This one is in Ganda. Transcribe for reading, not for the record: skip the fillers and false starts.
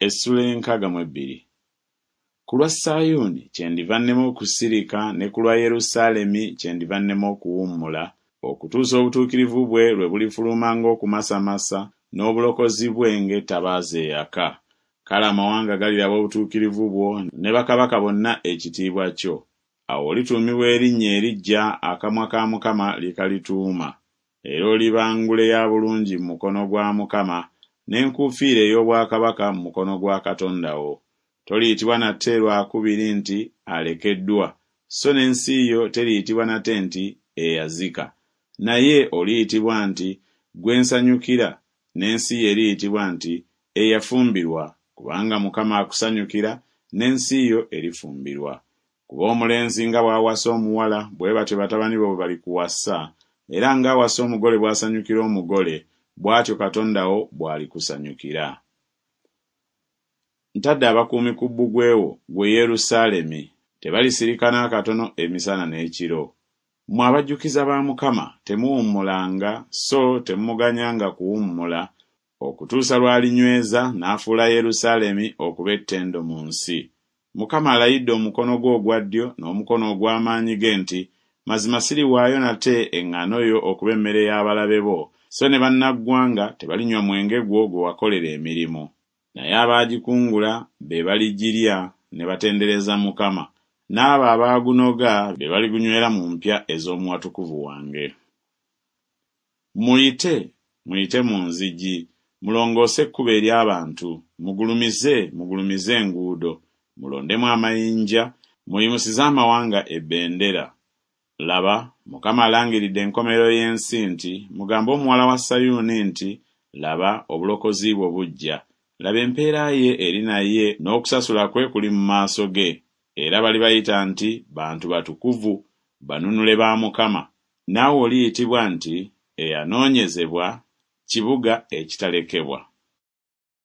Essula ey'enkaaga mu ebbiri. Ku lwa Sayuuni kyendiva nnema okusirika, ne ku lwa Yerusaalemi kyendiva nnema okuwummula, okutuusa obutuukirivu bwe lwe bulifuluma ng'okumasamasa, n'obulokozi bwe ng'ettabaaza eyaka. Kale amawanga galiraba obutuukirivu bwo, ne bakabaka bonna ekitiibwa kyo. Awo olituumibwa erinnya eriggya akamwa ka Mukama lye kalituuma. Era oliba ngule ya bulungi mu mukono gwa Mukama, n'enkuufiira ey'obwakabaka mu mukono gwa Katonda wo. Toliyitibwa nate lwa kubiri nti Alekeddwa, so n'ensi yo teriyitibwa nate nti Eyazika, naye oliyitibwa nti Gwe nsanyukira, n'ensi yo eriyitibwa nti Eyafumbirwa, kubanga Mukama akusanyukira, n'ensi yo erifumbirwa. Kuba omulenzi nga bw'awasa omuwala, bwe batyo batabani bo bwe balikuwasa, era ng'awasa omugole bw'asanyukira omugole, bw'atyo Katonda wo bw'alikusanyukira. Ntadde abakuumi ku bbugwe wo, ggwe Yerusaalemi, tebalisirika n'akatono emisana n'ekiro. Mmwe abajjukiza ba Mukama, temuwummulanga, so temumuganyanga kuwummula, okutuusa lw'alinyweza n'afuula Yerusaalemi okuba ettendo mu nsi. Mukama alayidde omukono gwe ogwa ddyo n'omukono ogw'amaanyi ge nti, Mazima siriwaayo nate eŋŋaano yo okuba emmere y'abalabe bo, so ne bannaggwanga tebalinywa mwenge gwo gwe wakolera emirimu. Naye abaagikungula be baligirya ne batendereza Mukama, n'abo abaagunoga be baligunywera mu mpya ez'omu watukuvu wange. Muyite, muyite mu nzigi, mulongoose ekkubo ery'abantu, mugulumize, mugulumize enguudo, mulondemu amayinja, muyimusize amawanga ebendera. Laba, Mukama alangiridde enkomerero y'ensi nti, Mugambe omuwala wa Sayuuni nti, Laba, obulokozi bwo bujja, laba empeera ye eri naye n'okusasula kwe kuli mu maaso ge, era balibayita nti Bantu batukuvu, banunule ba Mukama, naawe oliyitibwa nti Eyanoonyezebwa, Kibuga ekitalekebwa.